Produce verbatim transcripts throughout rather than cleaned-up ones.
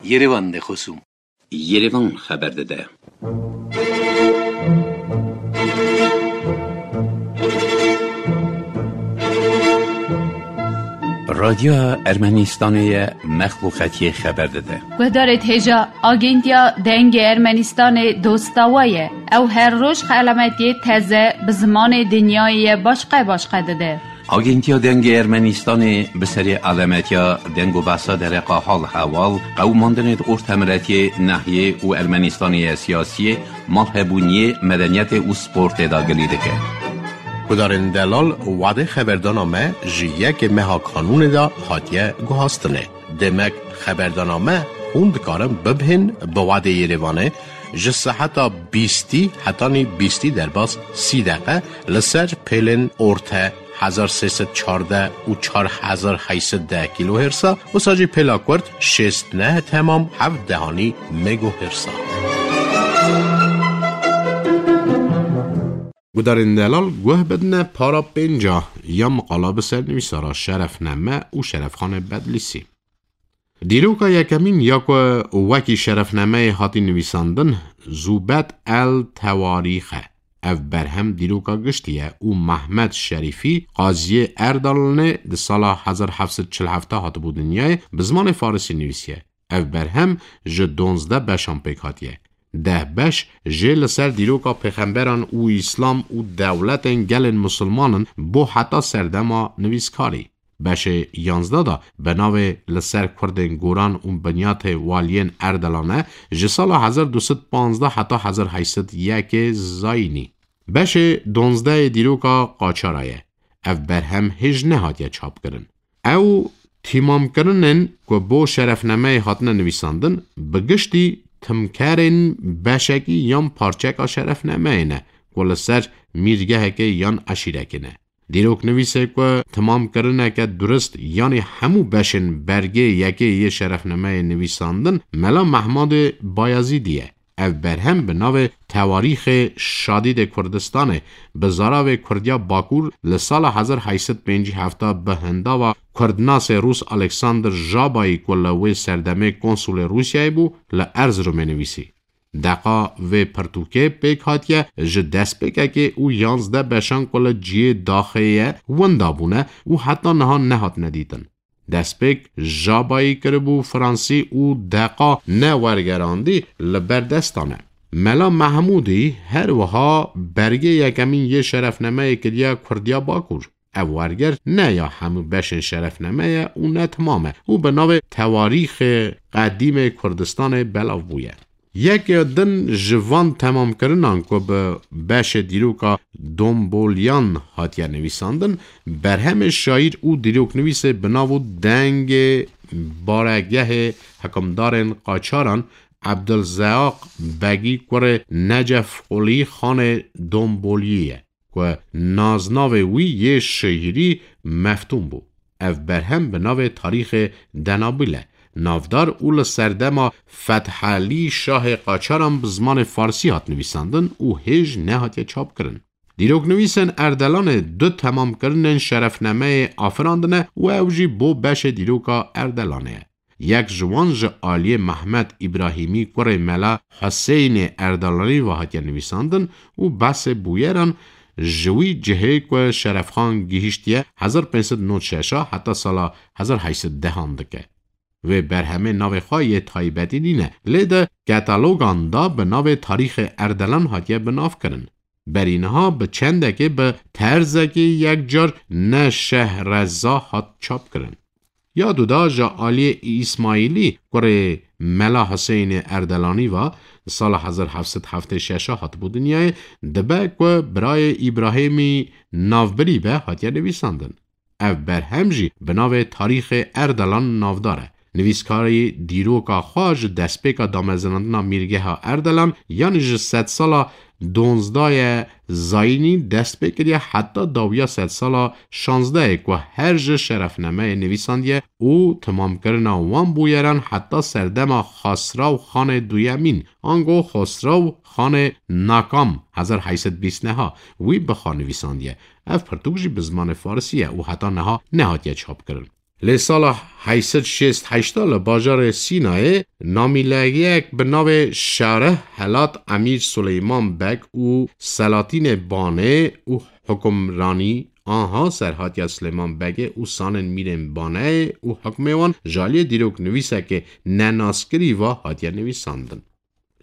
Yerevan de xosûm. Yerevan xeber dide. Radyoya Ermenistanê ye, mexluqetiyê xeber dide. Guhdarê hêja Agentiya Dengê Ermenistanê dosta we ye. Ew her roj xelametiyê teze bi zimanê dinyayê ye başqe başqe dide. Agentiya Dengê Ermenistanê bi serê alemetiya deng û behsa dereqa hal hewal, qewimandinê di ortemiretiyê, nehiyê û Ermenistanê ye siyasiyê, malhebûniyê, medeniyetê û sportê de gilî dike. Gudarên delal, wadê xeberdana me ji yekê meha kanûnê de hatiye guhastinê. Demek xeberdana me hûn dikarin bibihên bi wadê Yerevanê ji seheta bîstî hetanî bîstî derbas sî deqe li ser pêlên orte hezar sê sed çardeh û çar hezar heyt sed deh kîlohêrsa, wisa jî pêla kurt şêst neh temam heft dehanî megohêrsa. Gudarên delal guh bidine para pênca ya miqala bi ser nivîsara Şerefneme û Şerefxanê Bedlîsî. Dîroka yekemîn ya ku wekî Şerefnemeyê hatî nivîsandin, Zûbet el Tewarîx e. Ev berhem dîroka giştî ye û Mehmed Şerîfî, qaziyê Erdalanê, di sala hezar heft sed çil heft hatibû dinyayê, bi zimanê farisî nivîsiye. Ev berhem ji donzdeh beşan pêk hatiye. Deh beş jê li ser dîroka pêxemberan û Îslam û dewletên gelên misilmanin bo heta serdema nivîskarî. Beşê yanzdeh de bi navê Li ser Kurdên Goran û Binyatê Waliyên Erdelan e, ji sala hezar du sed panzdeh heta hezar heyt sed yekê zayînî. Beşê donzdehê dîroka Qaçara ye. Ev berhem hêj nehatiye çapkirin. Ew tîmamkirinên ku bo Şerefnemeyê hatine nivîsandin, bi giştî timkerên beşekî yan parçeka Şerefnemeyê ne ku li ser mîrgehekê yan eşîrekê ne. Dîroknivîsê ku timamkirineke durist yanî hemû beşên bergê yekê yê Şerefnemeyê nivîsandin, Mela Mehmudê Bayezîdî ye. Ev berhem bi navê Tewarîxê Şadîdê Kurdistanê bi zaravê Kurdiya Bakur li sala hezar heyt sed pêncî heft bi hindava kurdnasê rûs Alexander Jabayî ku li wê serdemê konsulê Rûsyayê bû, li Erziromê nivîsî. Deqa vê pirtûkê pêk hatiye ji destpêkekê û yanzdeh beşan ku li cihê daxê ye winda bûne û heta niha nehatine dîtin. Destpêk Jabayî kiribû Fransî û deqa newergerandî li ber destan e. Mela Mehmûdî her wiha bergê yekemîn yê Şerefnemeyê kiriye Kurdiya Bakur. Ev werger ne ya hemû beşên Şerefneme ye û ne timam e û bi navê Tewarîxê Qedîmê Kurdistanê belav bûye. Yeke din ji van temamkirinan ku bi beşê dîroka Domboliyan hatiye nivîsandin, berhemê şaîr û dîroknivîsê bi nav û dengê baregehê hikimdarên Qaçaran Ebdilzeaq Begî kurê Necef Qulî Xanê Domboliyê ye, ku naznavê wî yê şiîrî Meftûn bû. Ev berhem bi navê Tarîxê Denabil e navdar û li serdema Fethelî Şahê Qaçaran bi zimanê farsî hat nivîsandin û hêj nehatiye çapkirin. Dîroknivîsên Erdelanê du temamkirinên Şerefnemeyê afirandine û ew jî bo beşê dîroka Erdelanê ye. Yek ji wan ji aliyê Mehmet Îbrahîmî kurê Mela Huseynê Erdelanî ve hatiye nivîsandin û behsê bûyeran ji wî cihê ku Şerefxan gihîştiye hezar pênc sed nod şeş heta sala hezar heyt sed dehan dike. Vê berhemê navê xwe yê taybetî nîne, lê di katalogan de bi navê Tarîxê Erdelan hatiye binavkirin. Berî niha bi çendekê bi terzekî yekcar ne şehreza hat çapkirin. Ya duda ji aliyê Îsmaîlî kurê Mela Hiseynê Erdelanî ve di sala hezar heft sed heftê şeş hatibû dinyayê, dibe ku birayê Îbrahîmî navbirî be hatiye nivîsandin. Ev berhem jî bi navê Tarîxê Erdelan navdar e. Nivîskarî dîroka xwe ji destpêka damezinandina Mîrgeha Erdelan, yanî ji sedsala donzdayê zayînî dest pê kiriye heta dawiya sedsala şazdehê ku her ji Şerefnemeyê nivîsandiye û timamkirina wan bûyeran heta serdema Xasraw Xanê Duyemîn, ango Xosrew Xanê Nakam, hezar heyt sed bîst neha, wî bi xwe nivîsandiye. Ev pirtûk jî bi zimanê farisî ye û heta niha nehatiye çapkirin. Lê sala heyşt sed şêst heyşt li bajarê Sînayê namîleyek bi navê Şarih Helat Emîr Suleyman Beg û Selatînê Banê û hukimranî anha serhatiya Silêman Begê û sanên mîrên Baneyê û hukmê wan ji aliyê dîroknivîsekê nenaskirî ve hatiye nivîsandin.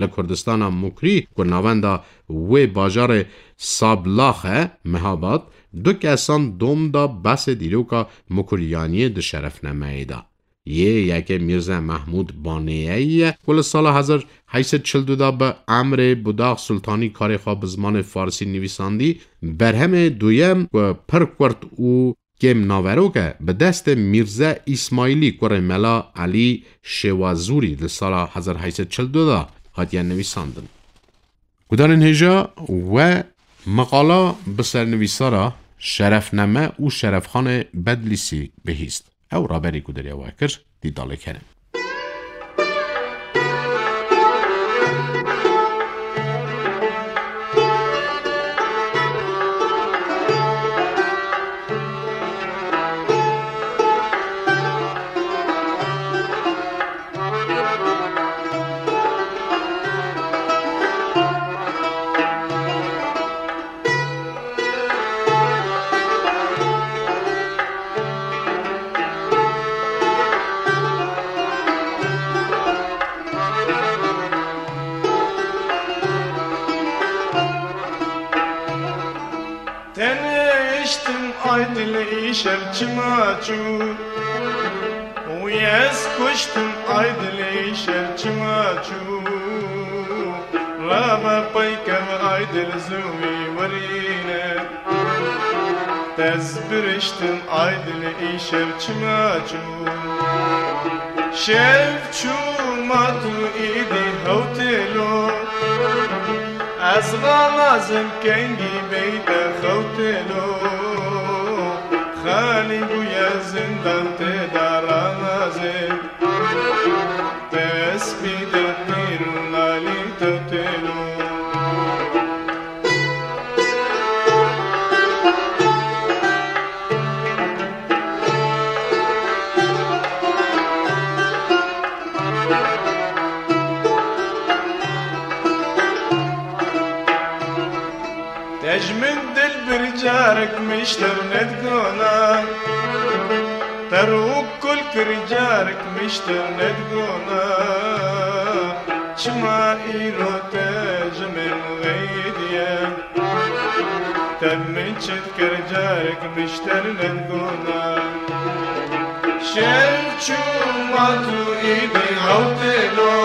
Li Kurdistana Mukrî ku navenda wê bajarê Sablax e, Mehabad, du kesan dom da behsê dîroka Mukriyaniyê di şerefnameyê de. Yê yekê Mîrze Mehmûd Banêyeyî ye ku li sala hezar heyşt sed çil du de bi emrê Budax Sultanî karê xwe bi zimanê farsî nivîsandî. Berhemê duyem ku pir kurt û kêm naverok e, bi destê Mîrze Îsmaîlî kurê Mela Elî Şêwazûrî li sala hezar heyşt sed çil du de hatiye nivîsandin. Gudarên hêja we meqala bi sernivîsara Şerefname û Şerefxanê Bedlîsî bihîst. Ew raberî ku deriya we kir, dîdalek hene. Teniştim ay dil îşev çima çû. Û ez kuştim ay dil îşev çima çû. Rava peykev ay dil zû wî werîne. Tez biriştim ay dil îşev çima çû. Şev çû ma tu îdî hewtêlo. Ez xalazim kengî beyte xewtêlo. Xalî bûye zindan tê da ranazê. Destpî de pîr û nalî tewtêlo. Te ji min dil bir carek mişter nedgona. Te rû kul kir carek mişter nedgona. Çima îro te ji min xeydiye? Te min çi dikir carek mişter nedgona. Şev çû ma tu îdî hewtêlo.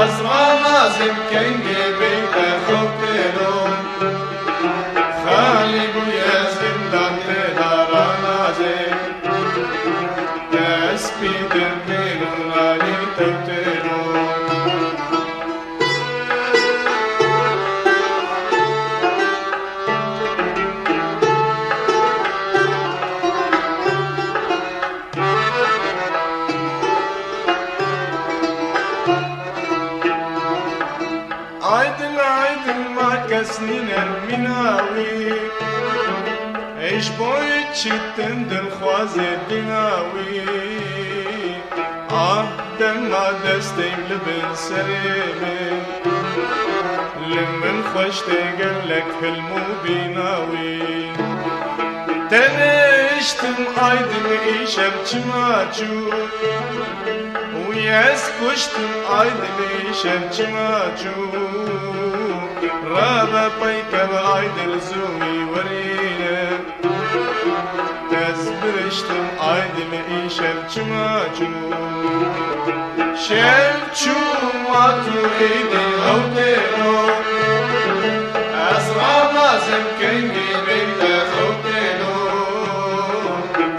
Ez xalazim kengê beyte xewtêlo. Xalî bûye zindan tê da ranazê. Destpî de pêl û nalî tewtêlo. Aydın aydın ma kes nîne mîna wî. Ej boy çitin dilxwazê dîna wî. Ah, dema destê li bin serê min. Li min xweş tê gelek hilm û bîna wî. Teniştim aydin îşev çima çû. Û ez kuştim aydin îşev çima çû. Rave peykev aydin zû wî werîne. Ez biriştim aydin îşev çima çû. Şev çû ma tu îdî hewtêlo. Ez ramazim kengî beyte xewtêlo.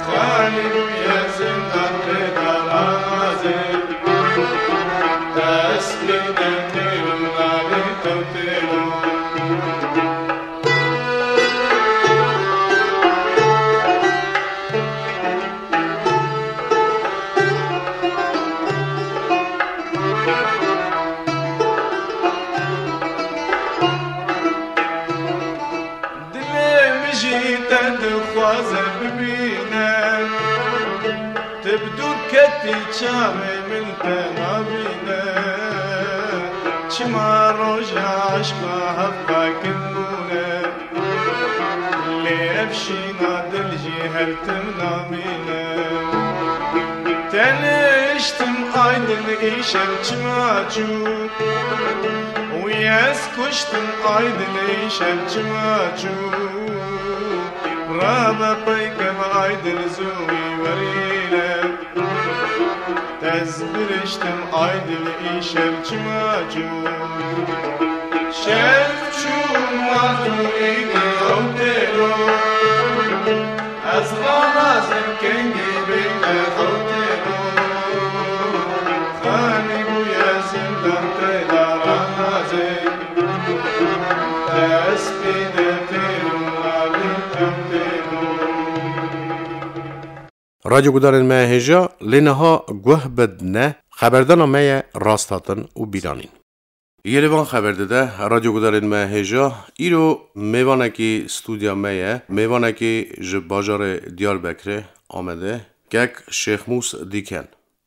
Xalî bûye zindan tê da ramazê. Destê de têlo navê tewtêlo. Dilê Bi dûr ketî çavê min te nabîne, çima roja eşqa hevqakin bûne. Lê ev şîna dil jî her tim namîne. Teniştim ay dil îşev çima çû, wî ez kuştim ay dil îşev çima çû. Rabe peykev ay dil zû wî werîne. Ez biriştim ay dil îşev çima çû. Şev çû ma tu îdî ew têro. Ez ranazim kengî beyne ew têro. Xanî bûye zindan têda ranazê. Ez pê de têro, nalim ew têro. Radyo gudarên me hêja, lê niha guh bidne, xeberdana me ye rast hatin û bîranîn. Yê li van xeber dide, radyo gudarên me hêja, îro mêvanekî stûdya me ye, mêvanekî ji bajarê Diyarbekirê, Amedê, kek Şêxmûs Dîken.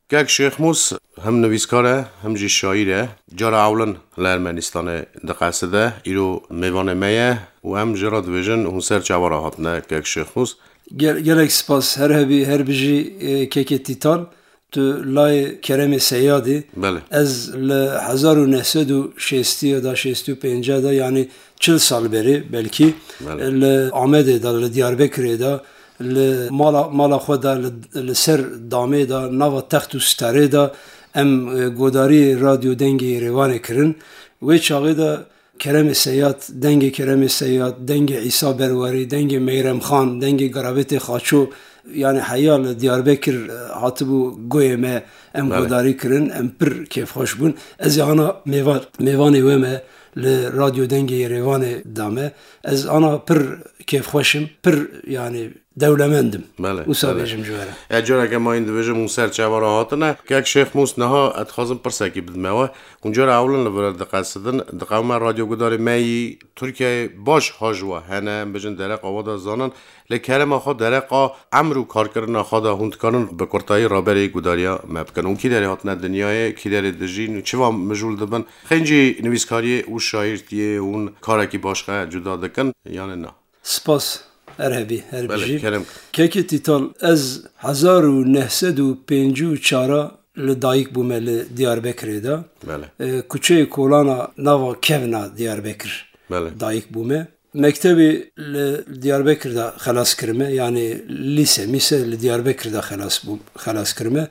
Kek Şêxmûs him nivîskar e, him jî şaîr e. Cara ewlin li Ermenistanê diqeside, îro mêvanê me ye û em jê re dibêjin hûn ser çawa re hatine, kek Şêxmûs. Gel-, gelek spas, her hebî, her bijî, e, kekê Tîtal, tu layê Keremê Seyadê. Belê. Ez li hezar û neh sed û şêstî ya da, şêst û pênc de, yanî çil sal berê belkî, Belê. Li Amedê de, li Diyarbekirê de, li mala, mala xwe de, li, li ser damê de, nava text û sitarê de em, e, godarî Radyo Dengê Yerêvanê kirin. Wê çaxê de Keremê Seyad, dengê Keremê Seyad, dengê Îsa Berwarî, dengê Meyrem Xan, dengê Garabetê Xaço, yanî heya li Diyarbekir, e, hatibû goyê me, em Belê. Godarî kirin, em pir kêfxweş bûn. Ez ê ana mêva-, mêvanê we me li Radyo Dengê Yerêvanê da me. Ez ana pir kêfxweş im, pir, yanî, dewlemend im. Belê, Wisa belê. Bêjim ji we re. E, careke mayîn dibêjim hûn ser çawa re hatine. Kek Şêxmûs, niha ez dixwazim pirsekî bidime we. Hûn cara ewlin li vir diqesidin, diqewime radyogudarê me yî Tirkiyeyê baş ha ji we hene, em bêjin dereqa we de zanin. Lê kerema xwe, dereqa emr û karkirina xwe de hûn dikarin bi kurtayî raberê gudariya me bikin. Hûn kî derê hatine dinyayê, kî derê dijîn û çiva mijûl dibin? Xêncî nivîskariyê û şaîrtiyê hûn karekî başqe cuda dikin, yanî na? Spas, her hebî, her Belê, bijî. Kerem. Kekê Tîtal, ez hezar û neh sed û pêncî û çar li dayik bûme li Diyarbekirê de. Belê. E, kuçeyê Kolana nava kevna Diyarbekir Belê. Dayik bûme. Mektebê li Diyarbekir de xelas kirime, yanî lîse, mîse li Diyarbekir de xelas bûm, xelas kirime.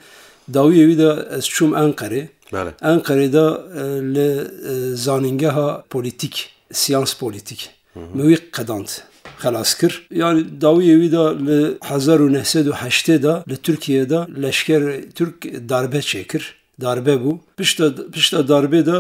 Dawiyê wî de ez çûm Enqerê. Belê. Enqerê de, e, li, e, zanîngeha polîtîk, siyans polîtîk. Hı hı. Min wî qedand, xelas kir. Yanî dawiyê wî de li hezar û neh sed û heştê de li Tirkiyê de leşker Tirk darbe çêkir. Darbe bû. Pişta, pişta darbê de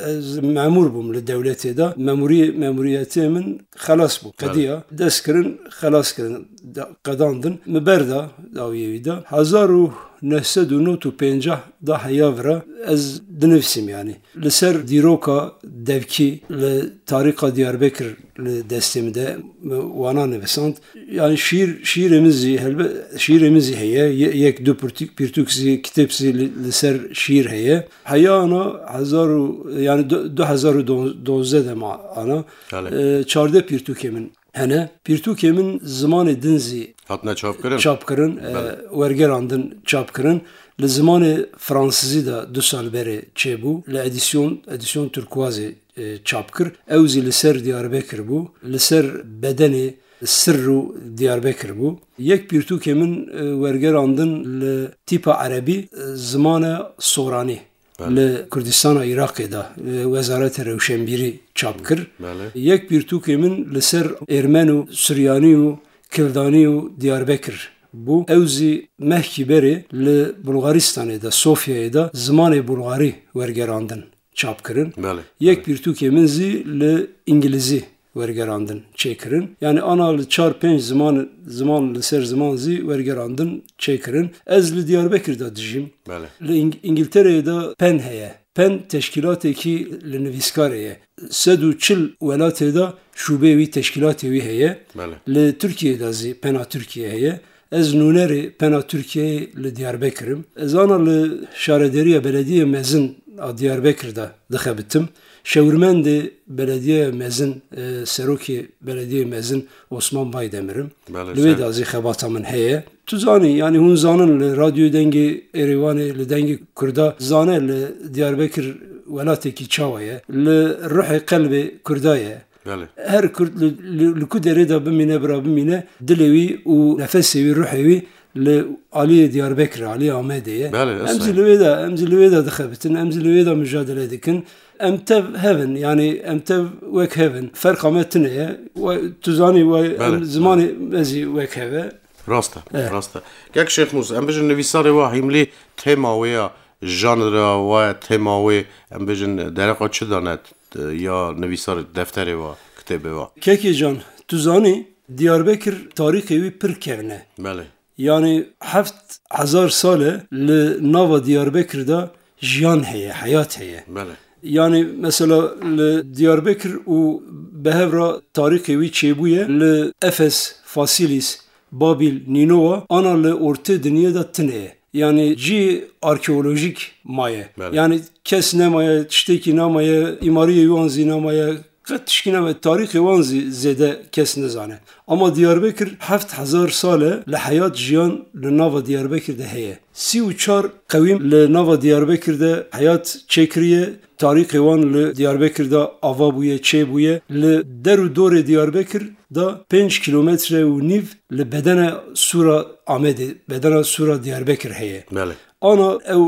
ez memûr bûm li dewletê de. Memûrî-, memûriyetê min xelas bû. Belê. Qediya. Dest kirin, xelas kirin. Da-, qedandin. Min berda dawiyê wî de. Hezar û neh sed û nod û pêncah da heya vira ez dinivîsim yanî. Li ser dîroka devkî li tarîxa Diyarbekir li destê min de, min wana nivisand. Yani şiir, şiirê min zî, helbe-, şiirê min zî heye. Ye-, yek du pirtûk, pirtûk zî, kitêb zî li, li ser şiir heye. Heya ana hezar û, yani du, du hezar û dozdeh de ma ana. Belê. E, çardeh pirtûkê min hene. Pirtûkê min zimanê din zî Hatine çapkirin? Çapkirin, e, Belê. Wergerandin çapkirin. Li zimanê fransizî de du sal berê çêbû. Li edîsyon, edîsyon Turkuazê, e, çap kir. Ew zî li ser Diyarbekir bû. Li ser bedenê sirr û Diyarbekir bû. Yek pirtûkê min, e, wergerandin li tîpa erebî, e, zimane soranî. Belê. Li Kurdistana Iraqê de, e, Wezareta Rewşenbîrî çap kir. Belê. Yek pirtûkê min li ser Êrmen û Suryanî û Kildanî û Diyarbekir bû. Ew zî mehkî berê li Bulgaristanê de, Sofyayê de zimanê bulgarî wergerandin, çap kirin. Belê, Yek belê. Pirtûkê min zî li îngilîzî wergerandin, çêkirin. Yani ana li çar pênc ziman, ziman li ser ziman zî wergerandin, çêkirin. Ez li Diyarbekir de dijîm. Belê. Li Îng-, Îngiltereyê de pen heye. Pen teşkîlatekî li nivîskarê ye. Sed û çil welatê de şûbeyê wî, teşkîlatê wî heye. Belê. Li Tirkiyeyê de zî pena Tirkiye heye. Ez nûnerê Pena Tirkiyeyê li Diyarbekir im. Ez ana li şarederiya belediyê mezin a Diyarbekir de dixebitim. Şewirmendê belediyeya mezin, e, serokê belediyê mezin Osman Baydemir im. Belê, Li wê ser- de zî xebata min heye. Tu zanî, yanî hûn zanin li Radyoyê Dengê Êrêvanê, li Dengê Kurda zane li Diyarbekir welatekî çawa ye. Li ruhê qelbê Kurda ye. Belê. Her Kurd li, li, li ku derê de bimîne, bira bimîne, dilê wî û nefesê wî, ruhê wî li aliyê Diyarbekir, aliyê Amedê ye. Belê, Em zî li wê de, em zî li wê de dixebitin, em zî li wê de mujadele dikin. Em tev hev in, yanî em tev wek hev in. Ferqa me tune ye. We, tu zanî, we, Belê, em zimanê me zî wek hev e. Rast e, Eh. rast e. Kek Şêxmûs, em bijin nivîsarê wa hîmlî tema wê ya, janra wa, tema wê, em bijin dereqa çi dane, t-, ya nivîsar defterê wa, kitêbê wa? Kekê can, tu zanî, Diyarbekir tarîxê wî pir kevn e. Belê. Yanî heft hezar sal e li nava Diyarbekir de jiyan heye, heyat heye. Belê. Yanî mesela li Diyarbekir û bi hev re tarîxê wî çêbûye, li Efes, Fasîlîs, Babîl, Nînowa, ana li ortê dinyê de tune ye. Yanî cî arkeolojîk maye. Belê. Yanî kes nemaye, tiştekî nemaye, îmariyê wan zî nemaye, qet tişkî nemaye, tarîxê wan zî zêde kes nizane. Ama Diyarbekir heft hezar sal e li heyat, jiyan li nava Diyarbekir de heye. Sî û çar qewîm li nava Diyarbekir de heyat çêkiriye, tarîxê wan li Diyarbekir de ava bûye, çêbûye. Li der û dorê Diyarbekir de pênc kîlometre û nîv li bedena Sûra Amedê, bedena Sûra Diyarbekir heye. Belê. Ana ew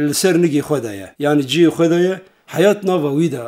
li ser nigê xwe de ye. Yanî cihê xwe de ye. Heyat nava wî de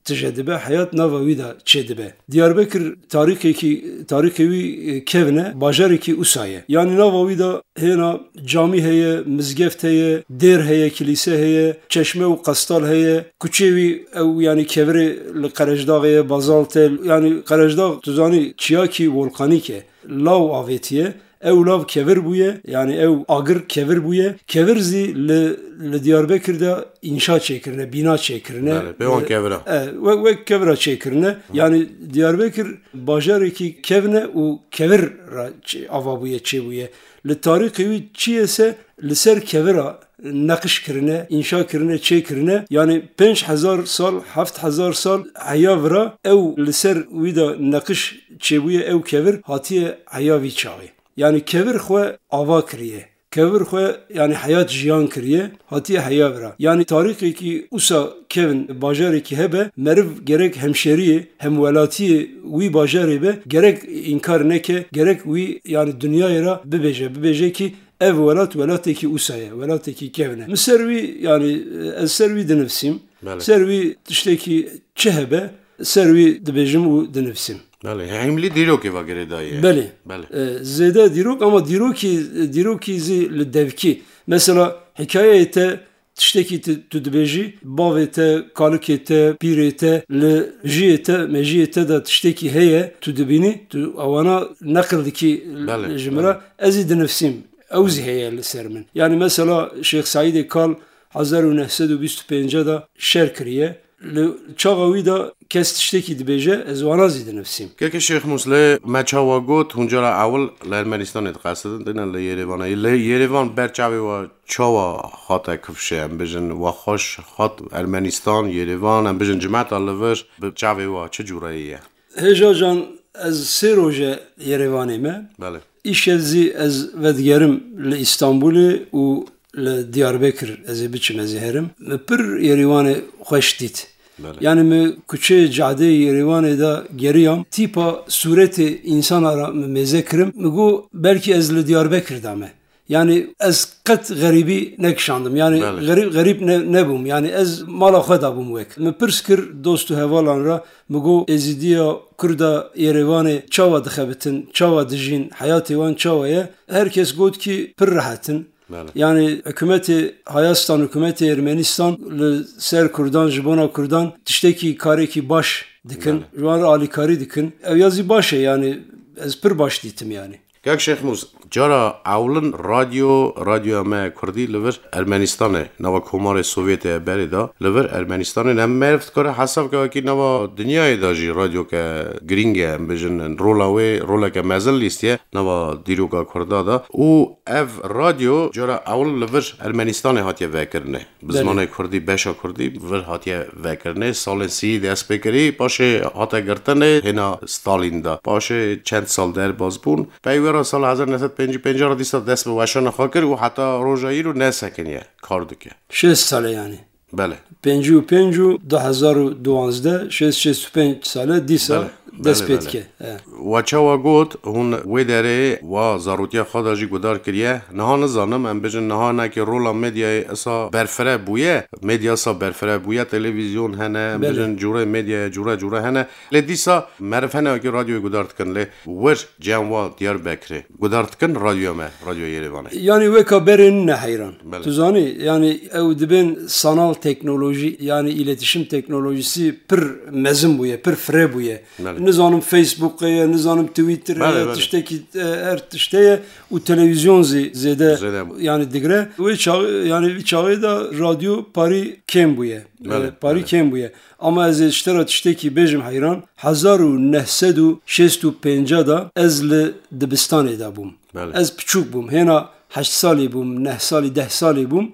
tije dibe, heyat nava wî de çêdibe. Diyarbekir tarîxekî, tarîxê wî, e, kevn e, bajarekî usa ye. Yanî nava wî de hêna camî heye, mizgeft heye, dêr heye, kilîse heye, çeşme û qestal heye. Kuçê wî ew, yanî kevirê li Qerejdaxê ye, bazalt e. Yanî Qerejdax, tu zanî, çiyakî volkanîk e. Law avêtiye. Ew lav kevir bûye, yanî ew agir kevir bûye. Kevir zî li, li Diyarbekir de înşa çêkirine, bîna çêkirine. Belê, pê wan kevira. E, wek, wek kevira çêkirine. Yanî Diyarbekir bajarekî kevn e û kevir re çê-, ava bûye, çêbûye. Li tarîxê wî çi ye se li ser kevira neqiş kirine, înşa kirine, çêkirine. Yanî pênc hezar sal, heft hezar sal heya vira ew li ser wî de neqiş çêbûye, ew kevir hatiye heya vî çaxê. Yanî kevir xwe ava kiriye. Kevir xwe, yanî heyat jiyan kiriye, hatiye heya vira. Yanî tarîxekî usa kevn, bajarekî hebe, meriv gerek hemşeriyê, hemwelatiyê wî bajarê be, gerek înkar neke, gerek wî, yanî dinyayê re bibêje, bibêje kî ev welat welatekî usa ye, welatekî kevn e. Min ser wî, yanî ez ser wî dinivsîm. Belê. Ser wî tiştekî çi hebe, ser wî dibêjim û dinivsîm. Belê, hîmlî dîrokê ve girêdayî ye. Belê. Belê. E, zêde dîrok, ama dîrokî, dîrokî zî li devkî. Mesela hikayeyê te tiştekî tu, tu dibêjî, bavê te, kalikê te, pîrê te, li jiyê te, mejiyê te de tiştekî heye, tu dibînî, tu ewana neqil dikî Belê, ji min re, belê. Ez zî dinivsîm. Ew zî heye li ser min. Yanî mesela Şêx Seîdê Kal hezar û neh sed û bîst û pênc de şer kiriye. Li çaxa wî de kes tiştekî dibêje, ez wana zî dinivsîm. Keke Şêx Mûs, lê me çawa got, hûn cara ewil li Ermenistanê diqesidin, dine li Yerêvanê. Li Yerêvan ber çavê we çawa hate kifşê, em bijin, we xweş hat Ermenistan, Yerêvan, em bijin cimeta li vir, bi çavê we çi cûreyê ye? Hêja can, ez sê roj e Yerêvanê me. Belê. Îşev zî ez vedigerim li Îstanbulê û li Diyarbekir ez ê biçim, ez ê herim. Mi pir Yerêvanê xweş dît. Belê. Yanî mi kuçeyê cadeyê Yerêvanê de geriyam, tîpa sûretê însana re mi mêze kirim. Mi got, belkî ez li Diyarbekir de me. Yanî ez qet xerîbî nekişandim. Yanî Belê. xerîb, xerîb ne, nebûm. Yanî ez mala xwe de bûm wek. Mi pirs kir dost û hevalan re, mi got, Êzîdiya Kurda Yerêvanê çawa dixebitin, çawa dijîn, heyatê wan çawa ye? Her kes got kî pir rehet in. Belê. Yanî hikûmetê Hayastan, hikûmetê Ermenistan li ser Kurdan, ji bona Kurdan tiştekî, karekî baş dikin. Belê. Ji wan re alîkarî dikin. Ew ya zî baş e, yanî ez pir baş dîtim yanî. Kek Şêxmûs, cara ewlin radyo, radyoya me kurdî li vir Ermenistanê, nava Komarê Sovyetê berê da, li vir Ermenistanê ne meriv dikare hesab ke wekî nava dinyayê da jî radyoke girîng e, em bêjin rola wê roleke mezin lîstiye nava dîroka kurda da. Û ev radyo cara ewil li vir Ermenistanê hatiye vekirinê. Bi Belê. Zimanê kurdî, beşa kurdî vir hatiye vekirinê. Salên sî dest pê kirî, paşê hate girtinê hêna Stalîn de. Paşê çend sal derbas bûn. Pey wê re sala hezar neh sed pêncî pênc re dîsa dest bi weşana xwe kir û heta roja îro nesekiniye, kar dike. Şêst sal e yanî. Belê. Pêncî û pênc û du hezar û duwazdeh, şêst, şêst û pênc sal e dîsa Belê. dest Belê, pê belê. dike. E. We çawa got, hûn wê derê wa zarotiya xwe de jî guhdar kiriye. Niha nizanim, em bêjin niha hinekî rola medyayê isa berfireh bûye. Medya isa berfireh bûye, televîzyon hene, em Belê. bêjin cûrê medyayê cûre cûre hene. Lê dîsa meriv hene wekî radyoyê guhdar dikin. Lê wir cem wa Diyarbekirê guhdar dikin radyoya me, radyoya Yerêvanê. Yanî weka berê nine heyran. Belê. Tu zanî, yanî ew dibên sanal teknolojî, yanî îletişim teknolojisi pir mezin bûye, pir fire bûye. Belê. Nizanim Facebook ye, nizanim Twitter Belê, ye, belê. tiştekî, e, her tişte ye û televîzyon zî zêde Zêde. yanî digre. Wê çaxê, yanî vî çaxê de radyo parî kêm bûye. E, Belê, parî belê. kêm bûye. Ama ez ê ji te re tiştekî bêjim heyran. Hezar û neh sed û şêst û pênc de ez li dibistanê de bûm. Belê. Ez piçûk bûm. Hêna heşt salî bûm, neh salî, deh salî bûm.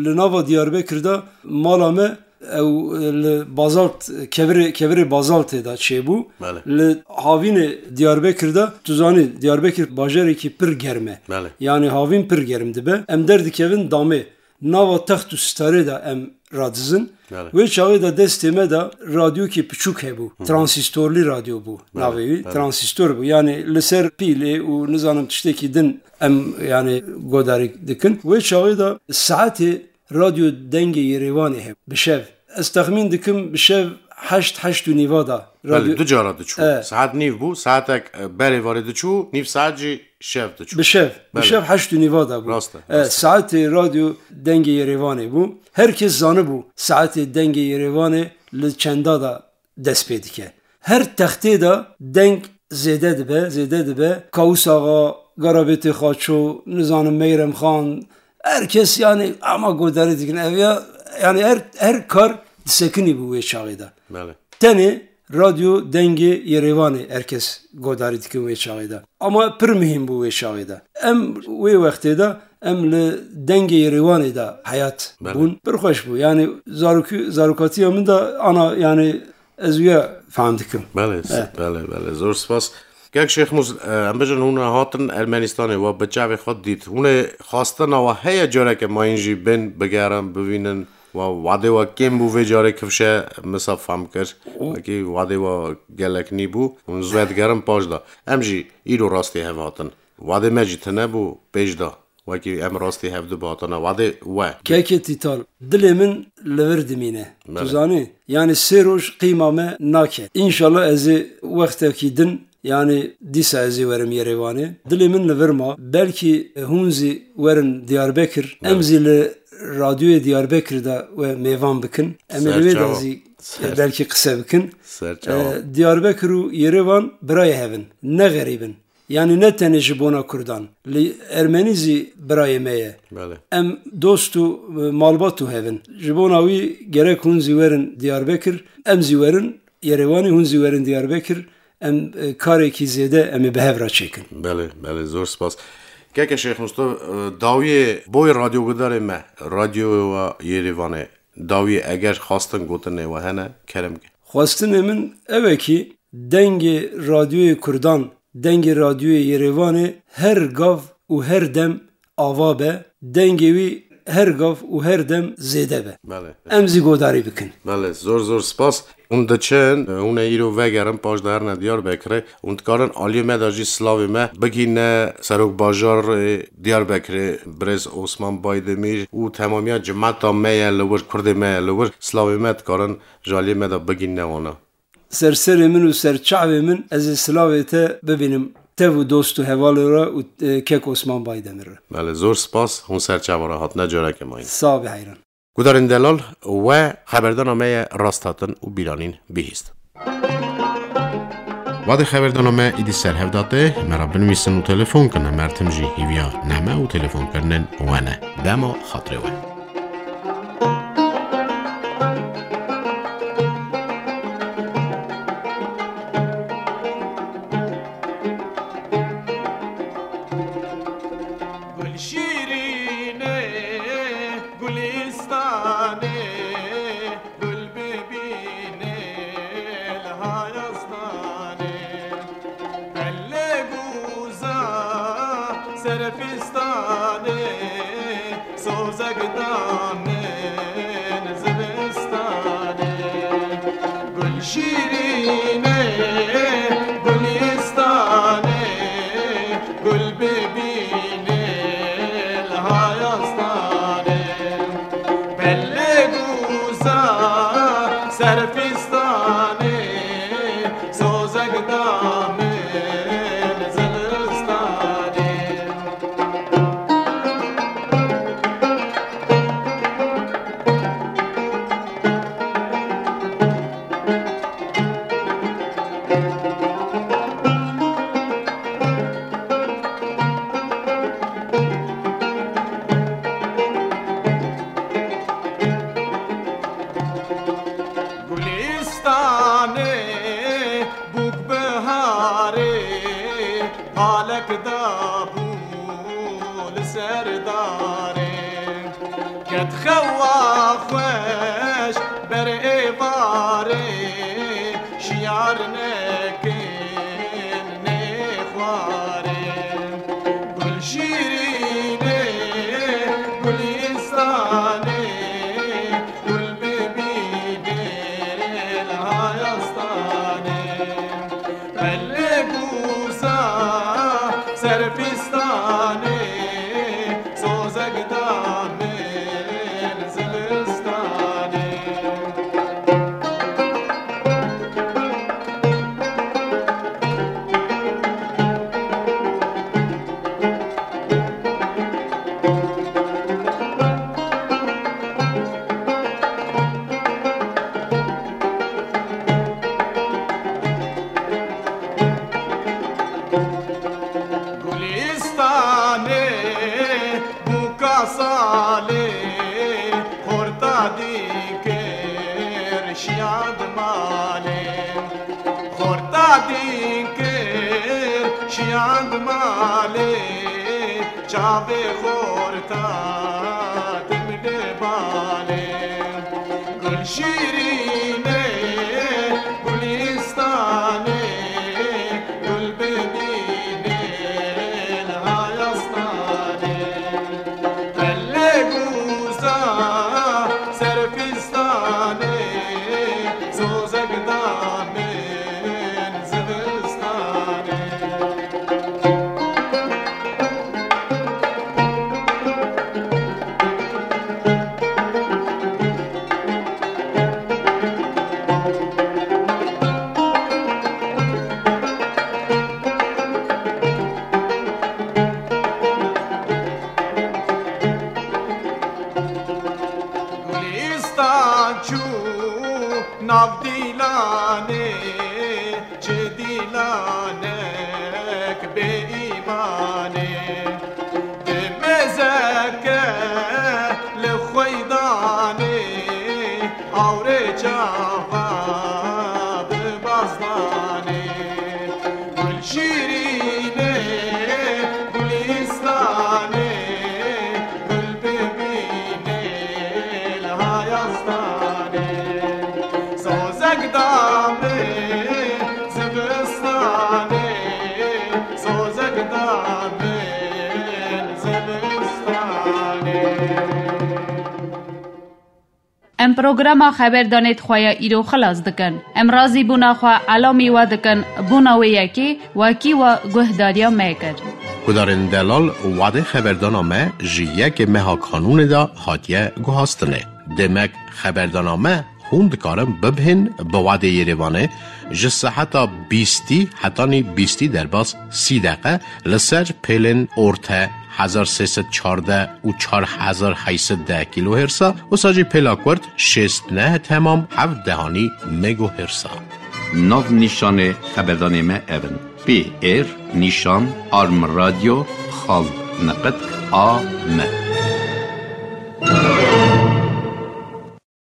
Li nava Diyarbekir de mala me ew li bazalt, kevirê, kevirê bazaltê de çêbû. Belê. Li havînê Diyarbekir de, tu zanî, Diyarbekir bajarekî pir germ e. Belê. Yanî havîn pir germ dibe. Em derdikevin damê. Nava text û sitarê de em radizin. Belê. Wê çaxê de destê me de radyokê piçûk hebû. Hı hı. Transîstorlî radyo bû Belê, navê wî. belê. Transîstor bû. Yanî li ser pîlê û nizanim tiştekî din em, yanî, godarî dikin. Wê çaxê de saetê radyo Dengê Yerêvanê hebû. Bi şev. Ez texmîn dikim bi şev heşt, heşt û nîva de Belê, radyo du cara diçû. E. Saet nîv bû, saetek, e, berê varê diçû, nîv saet jî şev diçû. Bi şev, bi Belê. şev heşt û nîva de bû. Rast e, E, rast e. Saetê radyo Dengê Yerêvanê bû. Her kes zanibû saetê Dengê Yerêvanê li çenda de dest pê dike. Her textê de deng zêde dibe, zêde dibe. Kawus Axa, Garabêtê Xaço, nizanim Meyrem Xan, her kes yanî ama godarî dikin. Ev ya, yanî her, her kar disekinî bû wê çaxê de. Belê. Tenê radyo Dengê Yerêvanê her kes godarî dikin wê çaxê de. Ama pir muhîm bû wê çaxê de. Em wê wextê de em li Dengê Yerêvanê de heyat Belê. bûn. Pir xweş bû. Yanî zarokî-, zarokatiya min de ana, yanî ez wîya fehm dikim. Belê, Eh. belê, belê. Zor spas. Kek Şêxmûs, e, em bêjin hûn hatin Ermenistanê, we bi çavê xwe dît. Hûn ê xwestina we heye careke mayîn jî bên bigerin, bivînin? Wa wadê wa kêm bû vê carê kifşe misa fam kir. Û Wekî wadê wa gelek nî bû. Hûn zû digerin paş da. Em jî îro rastî hev hatin. Wadê me jî tine bû pêş da. Wekî em rastî hev du hatine. Wadê we. Kekê Tîtal, dilê min li vir dimîne. Tu Belê. zanî? Yanî sê roj qîma me nake. Înşallah ez ê wextekî din Yanî dîsa ez ê werim Yerêvanê. Dilê min li vir ma. Belkî hûn zî werin Diyarbekir. Em Evet. zî li radyoyê Diyarbekir de we mêvan bikin. Em ê li wê de Serçava. zî Ser- belkî qise bikin. Serçava. E, Diyarbekir û Yerêvan birayê hev in. Ne xerîb in. Yanî ne tenê ji bona Kurdan. Li Ermenî zî birayê me ye. Belê. Em dost û, e, malbat û hev in. Ji bona wî gerek hûn zî werin Diyarbekir, em zî werin Yerêwanê, hûn zî werin Diyarbekir, em, e, karekî zêde em ê bi hev re çêkin. Belê, belê, zor spas. Keke Şêx Mustafa, e, dawiyê boy radyogudarê me, radyoya Yerêvanê, dawiyê eger xwestin gotinê we hene, kerem ke. Xwestinê min ew e kî dengê radyoyê Kurdan, dengê radyoyê Yerêvanê her gav û her dem ava be, dengê wî her gav û her dem zêde be. Belê. Em zî godarî bikin. Belê, zor zor spas. Hûn diçin, hûn ê îro vegerin, paş de herine Diyarbekirê. Hûn dikarin aliyê me de jî silavê me bigîne serokbajarê Diyarbekirê, birêz Osman Baydemîr û temamiya cimeta me ye li wir, kurdê me ye li wir. Silavê me dikarin ji aliyê me de bigîne wana. Ser serê min û ser çavê min ez ê silavê te bibînim. Tev û dost û hevalê re û, e, kek Osman Baydemir re. Belê, zor spas, hûn ser çava re hatine, careke mayîn. Sax be heyran. Gudarên delal, we xeberdana me ye rast hatin û bîranîn bihîst. Wadê xeberdana me îdî ser hev da tê, me re binivîsin û telefon kin, em her tim jî hîviya neme û telefonkirinên we ne. Dema xatirê we. Gul şîrînê, Gulîstanê, gul bibînê li hayastanê. Pelle guza serfistanê, sozek da min zivistanê. Gul şîrînê, Gulîstanê, gul bibînê li hayastanê. Pelle guza serfistanê, sozek da min zivistanê. Gulîstanê bûk biharê, palek dabû li ser darê. Ket xewa xweş ber êvarê, şiyar nekin nêxwarê. Gul şîrînê, Gulîstanê, gul bibînê li hayastanê. Pelle guza serfistanê, sozek da min zivistanê. Gulîstanê bûka salê, xorta dîkir şiyand malê. Xorta dîkir şiyand malê, çavê xorta tim li balê. Gul şîrînê, Gulîstanê, gul bibînê li hayastanê. Pelle guza serfistanê, sozek da min zivistanê. Gulîstan çû nav dîlanê, çi dîlanek bêîmanê. Di mezeke li xweydanê, awrê çava bi bazdanê. Gul şîrînê, Gulîstanê, gul bibînê li hayastanê. Sozek da min zivistanê, sozek da min zivistanê. Em programa xeberdanê di xwe ya îro xilas dikin. Em razîbûna xwe elamî we dikin bona wê yekê wekî we guhdariya me kir. Guhdarên delal, wadê xeberdana me ji yekê meha Kanûnê de hatiye guhastinê. Demek xeberdana me hûn dikarin bibihên bi wadê Yerêvanê ji seheta bîstî hetanî bîstî derbas sî deqe li ser pêlên orte hezar sê sed çardeh û çar hezar heyt sed deh kîlohêrsa, wisa jî pêla kurt şêst neh temam heft dehanî megohêrsa. Nav nîşanê xeberdanê me ev in: P R nîşan arm radio xal neqet a m.